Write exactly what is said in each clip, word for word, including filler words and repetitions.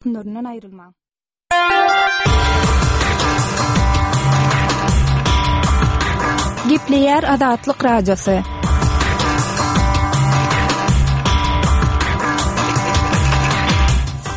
Tolkunlaryndan aýrylmaň. Gepleýär Azatlyk Radiosy.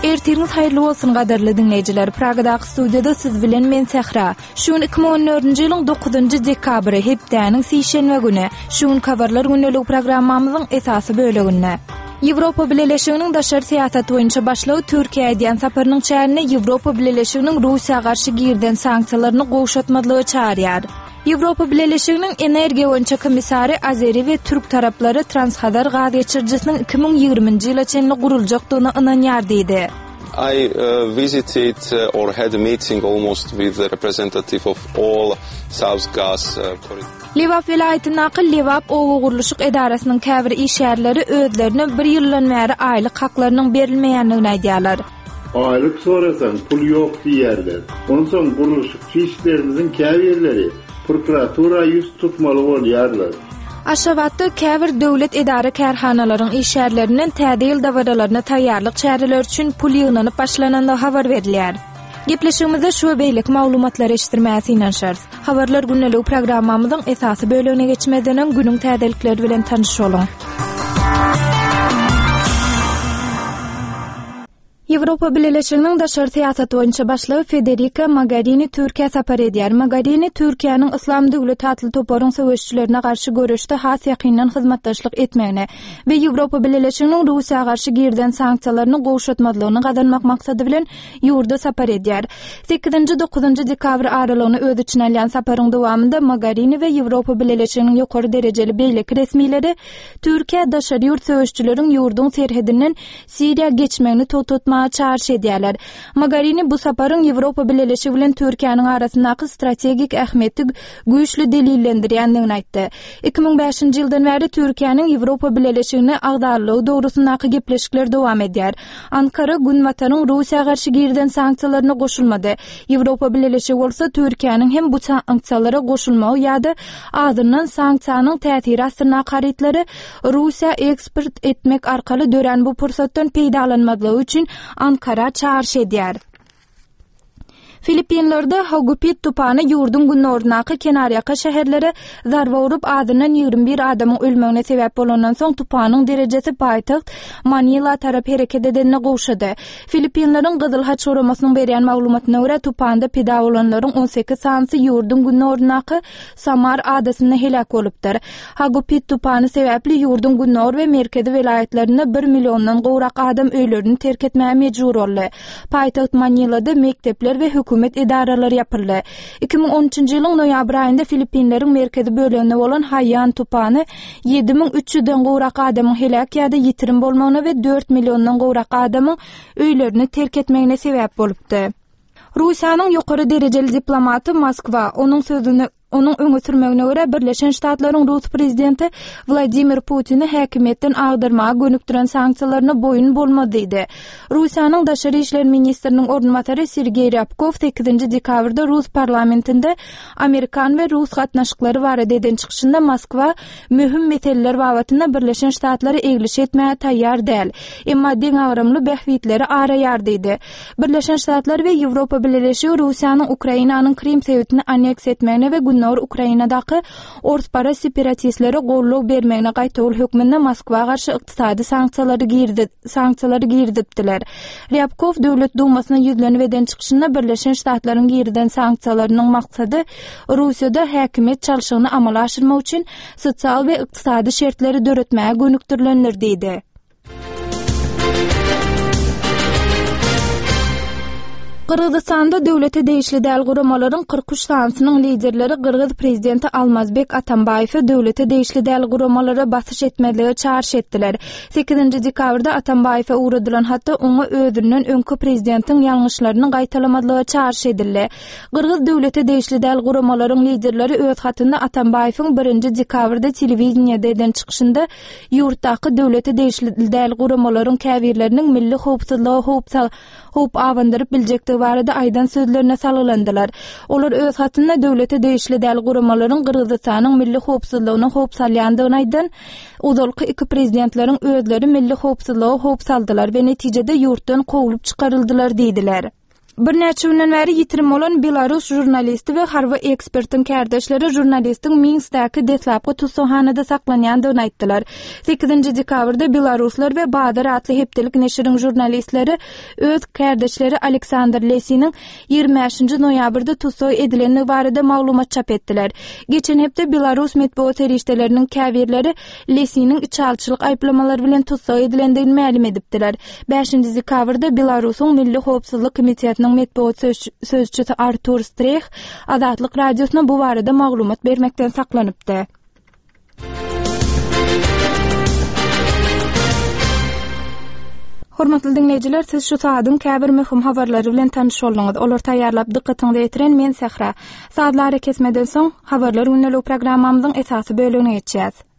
Ertiriňiz haýyrly bolsun gadyrly diňleýjiler. Pragadaky studiýada siz bilen men Sähra. Şu gün iki müň on dördünji ýylyň dokuzynjy dekabry, hepdäniň sişenbe güni. Şu gün habarlar gündeligi programmamyzyň esasy böleginde. Ýewropa Bileleşiginiň daşary syýasat boýunça başlygy Türkiýä edýän saparynyň çäginde Ýewropa Bileleşiginiň Russiýa garşy girizen sanksiýalaryny gowşatmazlyga çagyrýar. Ýewropa Bileleşiginiň energiýa boýunça komissary Azeri we türk taraplary Transhazar gaz geçirijisiniň iki müň ýigriminji ýyla çenli guruljakdygyna ynanýar diýdi. I, uh, visited, uh, or had a meeting almost with the representative of all South Gas, uh, corridor. Lebap welaýatyndaky Lebap oba gurluşyk edarasynyň käbir işgärleri özlerine bir ýyldan bäri aýlyk haklarynyň berilmeýändigini aýdýarlar. Aýlyk sorasaň pul ýok diýerler. Onsoň gurluşykçy işlerimiziň käbirleri prokuratura ýüz tutmaly bolýarlar. Aşgabatda käbir döwlet edara kärhanalaryň işgärlerinden täze ýyl dabaralaryna taýýarlyk çäreleri üçin pul ýygnanyp başlanandygy habar berilýär. Gepleşigimizde şu we beýleki maglumatlary eşitdirmäge synanyşarys. Habarlar gündeligi programmamyzyň esasy bölegine geçmezden öň günüň täzelikleri bilen tanyş boluň. Ýewropa Bileleşiginiň daşary syýasat boýunça başlygy Federica Mogherini Türkiýä sapar edýär. Mogherini Türkiýäniň Yslam döwleti atly toparyň söweşçilerine garşy göreşde has ýakyndan hyzmatdaşlyk etmegine we Ýewropa Bileleşiginiň Russiýa garşy girizen sanksiýalaryny gowşatmazlygyny gazanmak maksady bilen ýurda sapar edýär. Sekizinji dokuzynjy dekabr aralygyny öz içine alýan saparyň dowamynda Mogherini we Ýewropa Bileleşiginiň ýokary derejeli beýleki resmileri Türkiýä daşary ýurt söweşçileriň ýurduň serhedinden Siriýa geçmegini togtatmaga çagyryş edýärler. Mogherini bu saparyň Ýewropa Bileleşigi bilen Türkiýäniň arasyndaky strategik ähmiýeti güýçli delillendirýändigini aýtdy. Iki müň bäşinji ýyldan bäri Türkiýäniň Ýewropa Bileleşigine agzalygy dogrusyndaky gepleşikler dowam edýär. Ankara Günbataryň Russiýa garşy girizen sanksiýalaryna goşulmady. Ýewropa Bileleşigi bolsa Türkiýäniň hem bu sanksiýalara goşulmagy ýa-da azyndan sanksiýanyň täsiri astyndaky harytlary Russiýa eksport etmek arkaly dörän bu pursatdan peýdalanmazlygy üçin Ankara çagyryş edýär. Filippinlerde Hagupit tupany ýurduň günordaky kenarýaka şäherlere zarba urup azyndan ýigrimi bir adamyň ölmegine sebäp bolandan soň tupanyň derejesi paýtagt Manila tarap hereket edenine gowşady. Filippinleriň Gyzyl Haç guramasynyň berýän maglumatyna görä tupanda pida bolanlaryň on sekiz sanysy ýurduň günordaky Samar adasynda heläk bolupdyr. Hagupit tupany sebäpli ýurduň gündogar we merkezi welaýatlarynda bir milliondan gowrak adam öýlerini terk etmäge mejbur boldy. Paýtagt Manilada mekdepler we hökümet edaralary ýapyldy. Iki müň on üçünji ýylyň noýabr aýynda Filippinleriň merkezi böleginde bolan Haiyan tupany ýedi müň üç ýüzden gowrak adamyň heläk ýa-da ýitirim bolmagyna we dört milliondan gowrak adamyň öýlerini terk etmegine sebäp bolupdy. Russiýanyň ýokary derejeli diplomaty Moskwa onuň sözüni onuň öňe sürmegine görä Birleşen Ştatlaryň Rus prezidenti Wladimir Putini häkimiýetden agdarmaga gönükdiren sanksiýalaryna boýun bolmaz diýdi. Russiýanyň daşary işler ministriniň orunbasary Sergeý Ryabkov sekizinji dekabrda Rus parlamentinde Amerikan we Rus gatnaşyklary barada eden çykyşynda Moskwa möhüm meseleler babatynda Birleşen Ştatlary egliş etmäge taýýar däl, emma deňagramly bähbitleri araýar diýdi. Birleşen Ştatlar we Ýewropa Bileleşigi Russiýanyň Ukrainanyň Krim sebitini aneks etmegine we Gündogar Ukrainadaky orspara separatistlere goldaw bermegine gaýtawul hökmünde Moskwa garşy ykdysady sanksiýalary girdi, sanksiýalary girizipdiler. Ryabkov Döwlet Dumasyna ýüzlenip eden çykyşynda Birleşen Ştatlaryň girizen sanksiýalarynyň maksady Russiýada häkimiýet çalşygyny amala aşyrmak üçin sosial we ykdysady şertleri döretmäge gönükdirilendir diýdi. Gyrgyzystanda döwlete degişli däl guramalaryň kyrk üç sanysynyň liderleri Gyrgyz prezidenti Almazbek Atambaýewe döwlete degişli däl guramalara basyş etmezlige çagyryş etdiler. Sekizinji dekabrda Atambaýewe ugradylan hatda oňa özünden öňki prezidentiň ýalňyşlaryny gaýtalamazlyga çagyryş edildi. Gyrgyz döwlete degişli däl guramalaryň liderleri öz hatynda Atambaýewiň birinji dekabrda telewideniýede eden çykyşynda ýurtdaky döwlete degişli däl guramalaryň käbirleriniň milli howpsuzlyga howp sal-, howp abandyryp biljekdigi barada aýdan sözlerine salgylandylar. Olar öz hatynda döwlete degişli däl guramalaryň Gyrgyzystanyň milli howpsuzlygyna howp salýandygyny aýdan ozalky iki prezidentleriň özleri milli howpsuzlyga howp saldylar we netijede ýurtdan kowlup çykaryldylar diýdiler. Birnäçe günden bäri ýitirim bolan Belarus žurnalisti we harby ekspertiň kärdeşleri žurnalistiň Minskdäki deslapky tussaghanada saklanýandygyny aýtdylar. Sekizinji dekabrda Belaruslar we Bazar atly hepdelik neşiriň žurnalistleri öz kärdeşleri Aleksandr Lesiniň ýigrimi bäşinji noýabrda tussag edilendigi barada maglumat çap etdiler. Geçen hepde Belarus metbugat serişdeleriniň käbirleri Lesiniň içalyçylyk aýyplamalary bilen tussag edilendigini mälim edipdiler. Bäşinji dekabrda Belarusyň Milli howpsuzlyk komitetiniň metbugat sözçüsi Artur Streh Azatlyk Radiosyna bu barada maglumat bermekden saklanypdy. Hormatly dinleýjiler, siz şu saadyň käbir möhüm habarlary bilen tanyş bolduňyz. Olar taýýarlap dykgatyňyza ýetiren men Sähra. Sazlary kesmeden soň habarlar gündelik programmamyzyň esasy bölümine geçýäs.